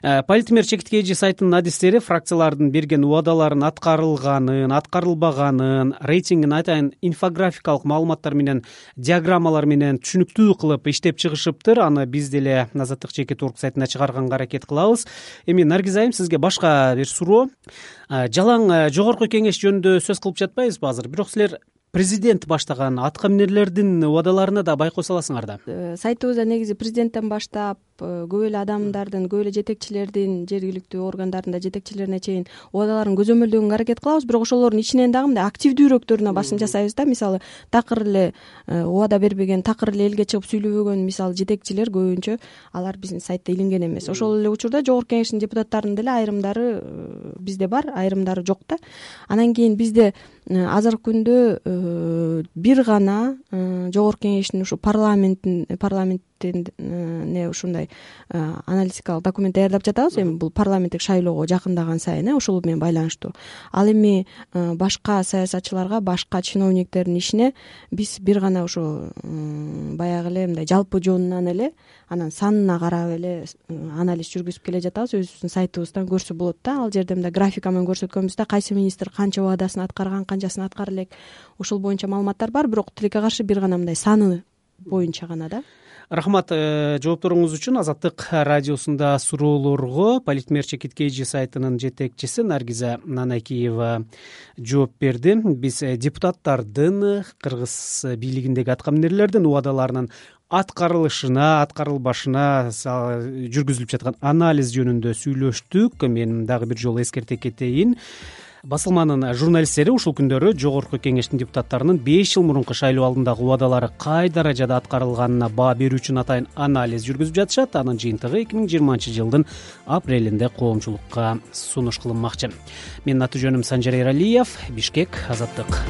Политмер чекит KG сайтынын адистери фракциялардын берген убадаларын аткарылганын, аткарылбаганын, рейтингин атайын инфографикалык маалыматтар менен, диаграммалар менен түшүнүктүү кылып иштеп чыгышыптыр. Аны биз деле Азаттык чекит орг сайтына чыгарганга аракет кылабыз. Эми Наргиз айым, сизге башка бир суроо. Жалаң жогорку кеңеш жөнүндө сөз кылып жатпайбызбы азыр? Бирок силер президент баштаган атка минерлердин убадаларына да байкоо саласыңар да. Сайтыбызда негизи президенттен баштап көп эле адамдардын, көп эле жетекчилердин, жергиликтүү органдардын жетекчилерине чейин убадаларын көзөмөлдөгөнгө аракет кылабыз. Бирок ошолордун ичинен дагы мындай активдүүрөөктөрүнө басым жасайбыз да. Мисалы, такыр эле убада бербеген, такыр эле элге чыгып сүйлөбөгөн мисалы жетекчилер көбүнчө алар биздин сайтта илинген эмес. Ошол эле учурда жогорку кеңештин депутаттарынын деле айрымдары бизде бар, айрымдары жок да. Анан кийин бизде азыркы күндө бир гана жогорку кеңештин ушу парламенттин ушундай аналитикалык документ даярдап жатабыз. Эми бул парламенттик шайлоого жакындаган сайын ошол менен байланыштуу. Ал эми башка саясатчыларга, башка чиновниктердин ишине биз бир гана ошо баягы эле мындай жалпы жонунан эле анан санына карап эле анализ жүргүзүп келе жатабыз. Өзүбүздүн сайтыбыздан көрсө болот да. Ал жерде мындай графика менен көрсөткөнбүз да, кайсы министр канча убадасын аткарган, канчасын аткара элек, ошол боюнча маалыматтар бар. Бирок тилекке каршы бир гана мындай саны боюнча гана да. Рахмат жоопторуңуз үчүн. Азаттык радиосунда суроолорго Политмер чекит KG сайтынын жетекчиси Наргиза Нанакиева жооп берди. Биз депутаттардын, кыргыз бийлигиндеги атка минерлердин убадаларынын аткарылышына, аткарылбашына жүргүзүлүп жаткан анализ жөнүндө сүйлөштүк. Мен дагы бир жолу эскерте кетейин. Басылманын журналисттери ушул күндөрү жогорку кеңештин депутаттарынын 5 жыл мурунку шайлоо алдындагы убадалары кай даражада аткарылганына баа берүү үчүн атайын анализ жүргүзүп жатышат. Анын жыйынтыгы 2020-жылдын апрелинде коомчулукка сунуш кылынмакчы. Менин аты жөнүм Санжар Эралиев. Бишкек, Азаттык.